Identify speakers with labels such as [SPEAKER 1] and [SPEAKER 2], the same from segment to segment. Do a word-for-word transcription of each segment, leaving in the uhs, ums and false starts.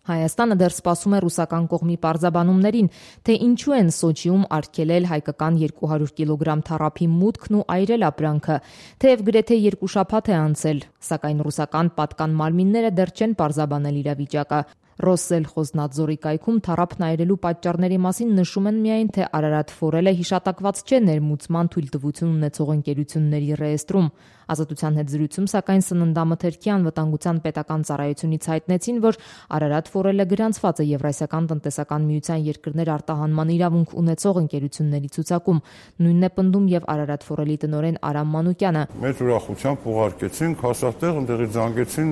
[SPEAKER 1] Հայաստանը դեռ սպասում է ռուսական կողմի պարզաբանումներին, թե ինչու են Սոչիում արգելել հայկական երկու հարյուր կիլոգրամ թառափի մուտքն ու այրել ապրանքը, թեև գրեթե երկու շաբաթ է անցել, սակայն ռուսական պատկան մարմինները դեռ չեն պարզաբանել իրավիճակը։ Ռոսսելխոզնադզորի կայքում թառափն այրելու պատճառների մասին նշում են միայն, թե Արարատ Ֆորելը հիշատակված չէ ներմուծման թույլտվություն ունեցող ընկերությունների ռեեստրում։ Ազատության հետ զրույցում, սակայն Սննդամթերքի անվտանգության պետական ծառայությունից հայտնեցին, որ Արարատ Ֆորելը գրանցված է Եվրասիական տնտեսական միության երկրներ արտահանման իրավունք ունեցող ընկերությունների ցուցակում։ Նույնն է պնդում եւ Արարատ Ֆորելի տնօրեն Արամ Մանուկյանը։
[SPEAKER 2] Մեծ ուրախությամբ ուղարկեցին, հասարտեղ ընդեղից զանգեցին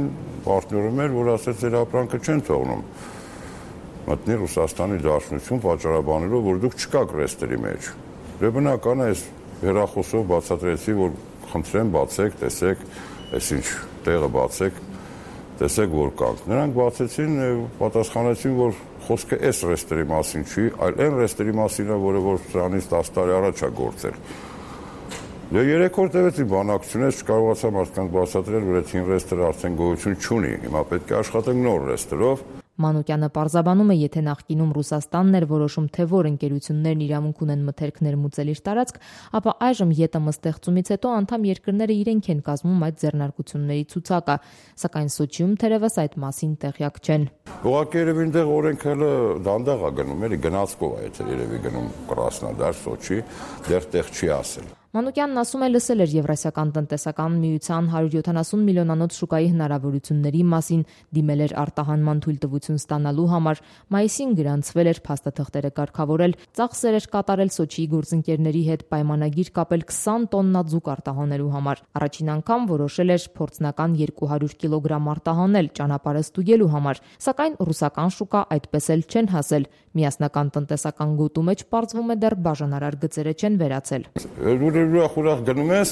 [SPEAKER 2] պարտներում էր, որ ասեց ձեր ապրանքը չեն թողնում մտնի Ռուսաստանի Դաշնություն պատճառաբանելով, որ դուք չկաք ռեստերի մեջ։ Դե բնական է, այս հեռախոսով բացատրեցի, որ խնդրեմ բացեք, տեսեք, այսինչ տեղը բացեք, տեսեք, որ կանք։ Նրանք բացեցին, պատասխանեցին, որ խոսքը այս ռեստերի մասին չի, այլ այն ռեստերի մասին է, որը որ սրանից տասը տարի առաջ է գործել։ Դե երեք օր տևեց իմ բանակցությունը, չկարողացա մարդկանց բացատրել, որ այդ հին ռեստերը արդեն գոյություն չունի, հիմա պետք է աշխատենք նոր ռեստերով։
[SPEAKER 1] Մանուկյանը պարզաբանում է, եթե նախկինում Ռուսաստանն էր որոշում, թե որ ընկերություններն իրավունք ունեն մթերք ներմուծել իր տարածք, ապա այժմ ԵՏՄ ստեղծումից հետո անդամ երկրները իրենք են կազմում այդ ձեռնարկությունների ցուցակը, սակայն Սոչիում թերևս այդ մասին տեղյակ չեն։
[SPEAKER 2] Ուղղակի երևի այնտեղ օրենքը հələ դանդաղ է գնում, էլի գնացքով է, եթե երևի գնում Կրասնոդար, Սոչի, դեռ տեղ չի ասել։
[SPEAKER 1] Մանուկյանն ասում է, լսել էր Եվրասիական տնտեսական միության հարյուր յոթանասուն միլիոնանոց շուկայի հնարավորությունների մասին, դիմել էր արտահանման թույլտվություն ստանալու համար, մայիսին գրանցվել էր փաստաթղթերը կարգավորել, ծախսեր էր կատարել Սոչիի գործընկերների հետ պայմանագիր կապել քսան տոննա ձուկ արտահանելու համար։ Առաջին անգամ որոշել էր փորձնական երկու հարյուր կիլոգրամ արտահանել ճանապարհը ստուգելու համար, սակայն ռուսական շուկա այդպես էլ չեն հասել։ Միասնական տնտեսական գոտու մեջ պարզվում է դեռ բաժանարար գծերը չեն վերացել։
[SPEAKER 2] Ուրախ-ուրախ գնում ես,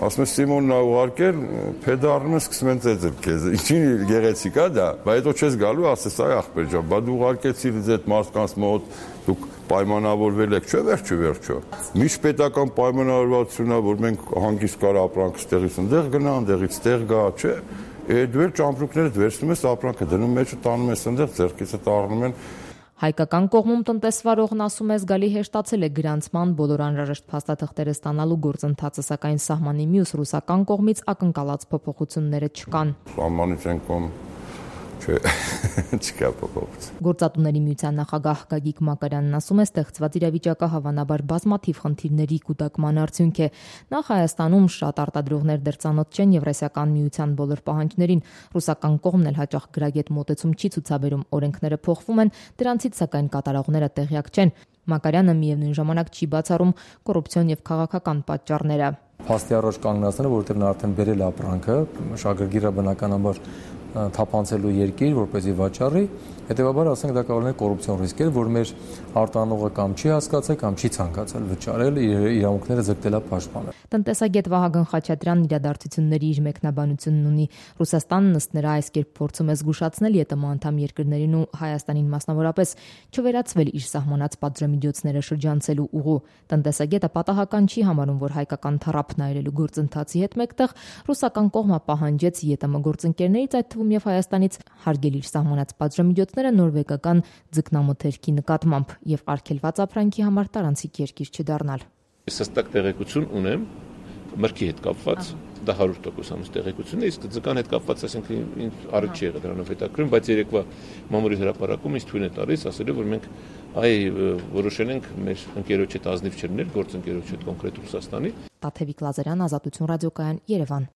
[SPEAKER 2] ասում ես Սիմոնն ա ուղարկել, փեդարնում ես, սկսում են ծեծել քեզ։ Ինչին գեղեցիկ է դա, բայց հետո չես գալու, ասես այ ախպեր ջան, բա դու ուղարկեցիր ինձ այդ մարդկանց մոտ, դուք պայմանավորվել եք, չէ՞ վերջը վերջո։ Միջպետական պայմանավորվածությունն է, որ մենք հանգիստ կար ապրանքը ստեղից ընդեղ գնա, ընդեղից տեղ գա, չէ՞։ Այդ դու ճամպրուկները վերցնում ես, ապրանքը դնում մեջը տանում ես ընդեղ, ձեռքից տառնում են։
[SPEAKER 1] Հայկական կողմում տնտեսվարողն ասում է, զգալի հեշտացել է գրանցման բոլոր անհրաժեշտ փաստաթղթերը ստանալու գործընթացը, սակայն սահմանի մյուս ռուսական կողմից ակնկալած փոփոխությունները չկան։
[SPEAKER 2] Սահմանից են կողմ չէ, չկա փոփոխություն։
[SPEAKER 1] Գործատուների միության նախագահ Գագիկ Մակարյանն ասում է, ստեղծված իրավիճակը հավանաբար բազմաթիվ խնդիրների կուտակման արդյունք է։ Նախ Հայաստանում շատ արտադրողներ դեռ ծանոթ չեն Եվրասիական միության բոլոր պահանջներին։ Ռուսական կողմն էլ հաճախ գրագետ մոտեցում չի ցուցաբերում, օրենքները փոխվում են, դրանցից սակայն կատարողները տեղյակ չեն։ Մակարյանը միևնույն ժամանակ չի բացառում կոռուպցիոն եւ քաղաքական պատճառները։
[SPEAKER 3] Փաստի առաջ կանգնածները, որովհետև նա արդեն բերել է ապրանքը, շագրգիռը բնականաբար թափանցելու երկիր, որպեսզի վաճառի, հետևաբար ասենք դա կարող է կոռուպցիոն ռիսկեր, որ մեր արտանողը կամ չի հասկացել կամ չի ցանկացել վճարել, իր իրավունքները ձգտելա պաշտպանել։
[SPEAKER 1] Տնտեսագետ Վահագն Խաչատրյանն իրադարձությունների իր մեկնաբանությունն ունի։ Ռուսաստանն ըստ նրա այս կերպ փորձում է զգուշացնել ԵՏՄ անդամ երկրներին ու Հայաստանին մասնավորապես չվերացվել իր սահմանած պատժամիջոցները շրջանցելու ուղու։ Տնտեսագետը պատահական չի համարում, որ հայկական թառափն այրելու գործընթացի հետ մեկտեղ ռուսական կողմը պահանջեց ԵՏՄ գործընկերներից, այդ թվում եւ Հայաստանից, հարգել իր սահմանած պատժամիջոցները նորվեգական ձկնամթերքի նկատմամբ եւ արգելված ապրանքի համար տարանցիկ երկիր չդառնալ։
[SPEAKER 4] Ես հստակ տեղեկություն ունեմ մրգի հետ կապված, դա հարյուր տոկոս տեղեկություն է, իսկ ձկան հետ կապված, այսինքն ինձ առիթ չի եղել դրանով հետաքրքրում, բայց երեկվա մամուլի հրապարակում ինձ թույլ է տալիս, ասելով, որ մենք այ որոշել ենք մեր ընկերոջ հետ ազնիվ չլինել, գործընկերոջ հետ կոնկրետ Ռուսաստանի։
[SPEAKER 1] Տաթևիկ Լազարյան, Ազատություն ռադիոկայան, Երևան։